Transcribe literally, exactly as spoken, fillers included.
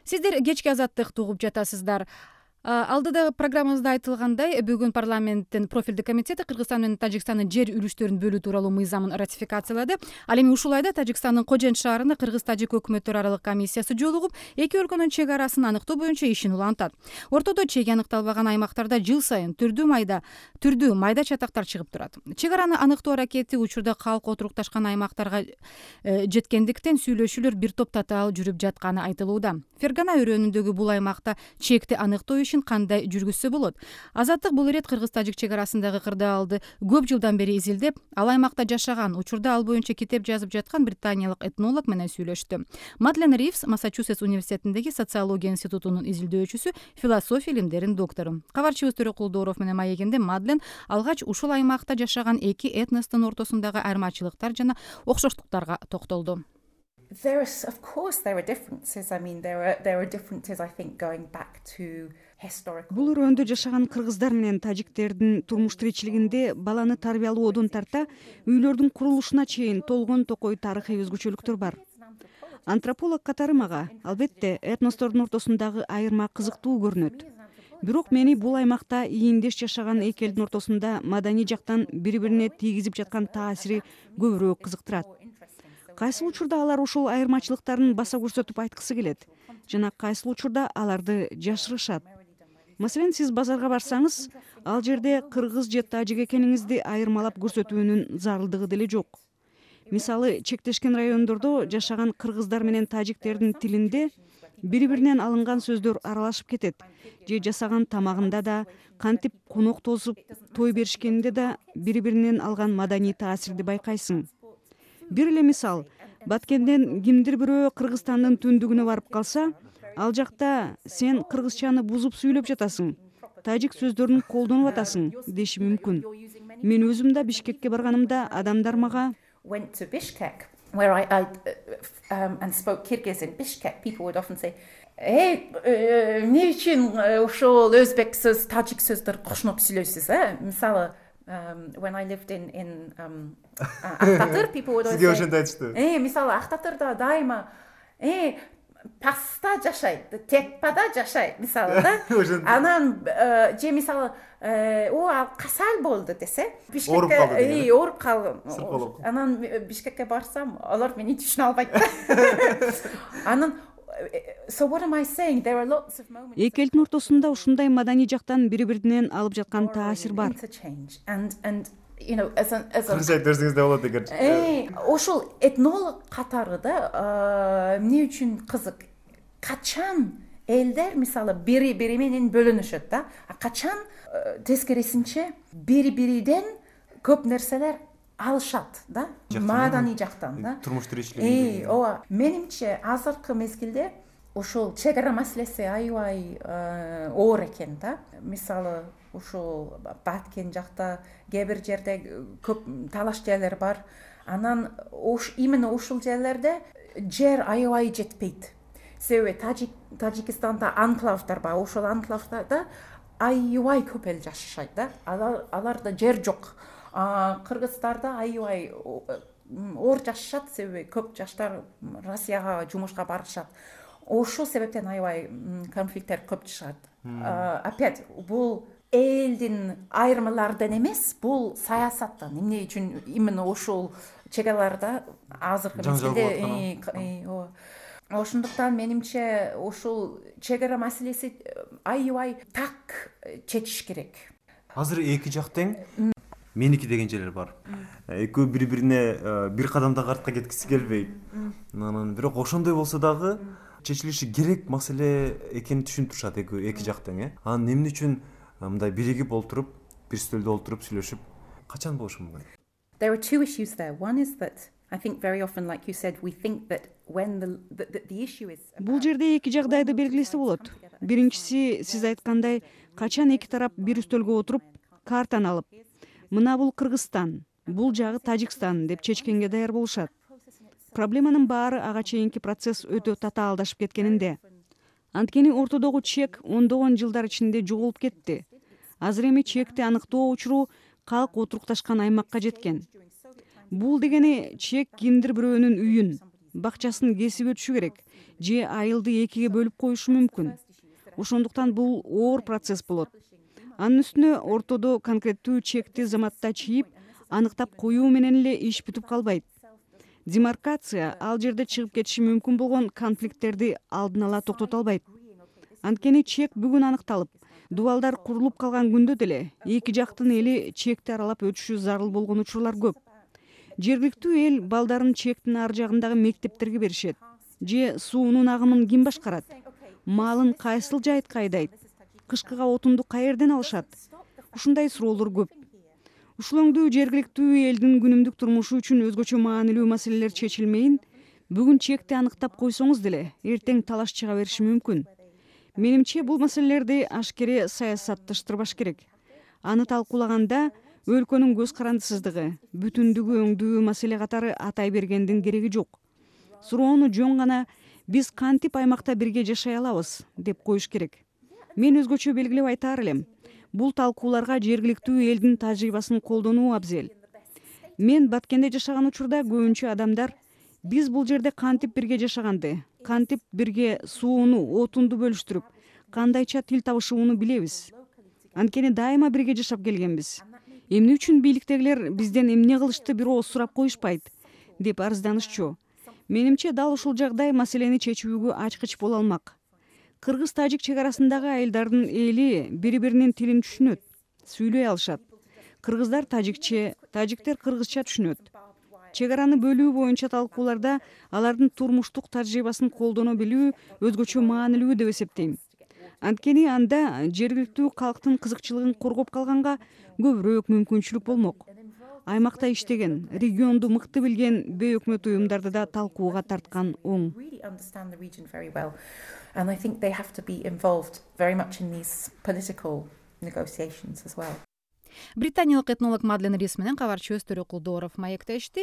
Сиздер кечки азаттыкты угуп жатасыздар. Алдыда программабызда айтылгандай, бүгүн парламенттин профилдик комитети Кыргызстан менен Тажикстандын жер үлүштөрүн бөлүү тууралуу мыйзамын ратификациялады. Ал эми ушул айда Тажикстандын Кожен шаарында Кыргыз-Тажик өкмөттөр аралык комиссиясы жолугуп, эки өлкөнүн чек арасын аныктоо боюнча ишин улантат. Ортодо чеги аныкталбаган аймактарда жыл сайын түрдүү майда түрдүү майда чатактар чыгып турат. Чек араны аныктоо аракети учурда калк отурукташкан аймактарга жеткендиктен сүйлөшүүлөр бир топ татаал жүрүп жатканы айтылууда. Фергана өрөөнүндөгү бул аймакта чекти аныктоо кандай жүргүзсө болот? Азаттык бул ирет Кыргыз-Тажик чек арасындагы кырдаалды көп жылдан бери изилдеп, ал аймакта жашаган, учурда ал боюнча китеп жазып жаткан британиялык этнолог менен сүйлөштү. Мадлен Ривс Массачусетс университетиндеги социология институтунун изилдөөчүсү, философия илимдеринин доктору. Кабарчыбыз Төрөкул Дооров менен маегинде Мадлен алгач ушул аймакта жашаган эки этностун ортосундагы айырмачылыктар жана окшоштуктарга токтолду. There is, of course, there are differences. I mean, there are there are differences. I think going back to historical. Бул өрөөндө жашаган кыргыздар менен тажиктердин турмуш тиричилигинде баланы тарбиялоодон тарта үйлөрдүн курулушуна чейин толгон токой тарыхый өзгөчөлүктөр бар. Антрополог катары мага, албетте, этностордун ортосундагы айырма кызыктуу көрүнөт. Бирок мени бул аймакта ийиндеш жашаган эки элдин ортосунда маданий жактан бири-бирине тийгизип жаткан таасири көбүрөөк кызыктырат. Кайсыл учурда алар ошол айырмачылыктарын баса көрсөтүп айткысы келет жана кайсыл учурда аларды жашырышат. Маселен, сиз базарга барсаңыз, ал жерде кыргыз же тажик экениңизди айырмалап көрсөтүүнүн зарылдыгы деле жок. Мисалы, чектешкен райондордо жашаган кыргыздар менен тажиктердин тилинде бири-биринен алынган сөздөр аралашып кетет, же жасаган тамагында да, кантип конок тосуп той беришкенинде да бири-биринен алган маданий таасирди байкайсың. Бир эле мисал, Баткенден кимдир бирөө Кыргызстандын түндүгүнө барып калса, ал жакта сен кыргызчаны бузуп сүйлөп жатасың, тажик сөздөрүн колдонуп атасың деши мүмкүн. Мен өзүм да Бишкекке барганымда адамдар мага went to Bishkek where I, I um, and spoke Kyrgyz in Bishkek, people would often say, "Эй, эмне үчүн ошол өзбек сөз, тажик сөздөр кошноп сүйлөйсүз, э?" Мисалы, Um, when I lived in in um, Актатыр, people would always say. Сизге ошентип айтышты. Э, мисалы, Актатырда дайыма, э, паста жашайт, текпада жашайт, мисалы да. Анан же мисалы, о, ал касал болду десе, Бишкекке, э, ооруп калдым. Анан Бишкекке барсам, алар мени түшүнө албайт. Анан So what am I saying? There are lots of moments. Эки элдин ортосунда ушундай маданий жактан бири-биринен алып жаткан таасир бар. And and you know as an as a Кыргызча айтып да болот эгер. Э, ошол этнолог катары да эмне үчүн кызык? Качан элдер мисалы бири-бири менен бөлүнүшөт да, а качан тескерисинче бири-бириден көп нерселер алышат да, маданий жактан да, турмуш тиричилигинде. Э, ооба, менимче азыркы мезгилде ошол чек ара маселеси аябай оор экен да. Мисалы, ошол Баткен жакта кээ бир жерде көп талаш жерлер бар. Анан ош именно ошол жерлерде жер аябай жетпейт. Себеби Тажик Тажикстанда анклавдар бар, ошол анклавдарда аябай көп эл жашайт да. Алар аларда жер жок. Кыргыздарда аябай оор жашашат, себеби көп жаштар Россияга жумушка барышат. Ошол себептен аябай конфликттер көп чыгат. Опять бул элдин айырмалардан эмес, бул саясаттан. Эмне үчүн именно ошол чегаларда азыркы мезгилде ошондуктан менимче ошол чек ара маселеси аябай так чечиш керек. Азыр эки жак тең меники деген жерлер бар. Экөө бири-бирине бир кадамда артка кеткиси келбейт. Анан бирок ошондой болсо дагы чечилиши керек маселе экенин түшүнүп турушат эки эки жактан, э. Анан эмне үчүн мындай биригип олтуруп, бир стөлдө олтуруп сүйлөшүп качан болушу мүмкүн? There are two issues there. One is that I think very often, like you said, we think that when the the, the issue is. Бул жерде эки жагдайды белгилесе болот. Биринчиси, сиз айткандай, качан эки тарап бир үстөлгө отуруп, картаны алып, мына бул Кыргызстан, бул жагы Тажикстан деп чечкенге даяр болушат. Проблеманын баары ага чейинки процесс өтө татаалдашып кеткенинде. Анткени ортодогу чек ондогон жылдар ичинде жоголуп кетти. Азыр эми чекти аныктоо учуру калк отурукташкан аймакка жеткен. Бул дегени чек кимдир бирөөнүн үйүн, бакчасын кесип өтүшү керек же айылды экиге бөлүп коюшу мүмкүн. Ошондуктан бул оор процесс болот. Анын үстүнө ортодо конкреттүү чекти заматта чийип, аныктап коюу менен эле иш бүтүп калбайт. Демаркация ал жерде чыгып кетиши мүмкүн болгон конфликттерди алдын ала токтото албайт. Анткени чек бүгүн аныкталып, дубалдар курулуп калган күндө деле эки жактын эли чекти аралап өтүшү зарыл болгон учурлар көп. Жергиликтүү эл балдарын чектин ар жагындагы мектептерге беришет. Же суунун агымын ким башкарат? Малын кайсыл жайытка айдайт? Кышкыга отунду каерден алышат? Ушундай суроолор көп. Ушул өңдүү жергиликтүү элдин күнүмдүк турмушу үчүн өзгөчө маанилүү маселелер чечилмейин, бүгүн чекти аныктап койсоңуз деле эртең талаш чыга бериши мүмкүн. Менимче бул маселелерди ашкере саясатташтырбаш керек. Аны талкуулаганда өлкөнүн көз карандысыздыгы, бүтүндүгү өңдүү маселе катары атай бергендин кереги жок. Суроону жөн гана биз кантип аймакта бирге жашай алабыз деп коюш керек. Мен өзгөчө белгилеп айтаар элем. Бул талкууларга жергиликтүү элдин тажрыйбасын колдонуу абзел. Мен Баткенде жашаган учурда көбүнчө адамдар биз бул жерде кантип бирге жашаганды, кантип бирге сууну, отунду бөлүштүрүп, кандайча тил табышууну билебиз. Анткени дайыма бирге жашап келгенбиз. Эмне үчүн бийликтегилер бизден эмне кылышты бир ооз сурап коюшпайт деп арызданышчу. Менимче дал ушул жагдай маселени чечүүгө ачкыч боло алмак. Кыргыз-тажик чек арасындагы айылдардын эли бири-биринин тилин түшүнөт, сүйлөй алышат. Кыргыздар тажикче, тажиктер кыргызча түшүнөт. Чек араны бөлүү боюнча талкууларда алардын турмуштук тажрыйбасын колдоно билүү өзгөчө маанилүү деп эсептейм. Анткени анда жергиликтүү калктын кызыкчылыгын коргоп калганга көбүрөөк мүмкүнчүлүк болмок. Аймакта иштеген, регионду мыкты билген бейөкмөт уюмдарды да талкууга тарткан оң. And I think they have to be involved very much in these political negotiations as well. Британиялык этнолог Мадлен Рис менен кабарчыбыз Төрөкул Дооров маектешти.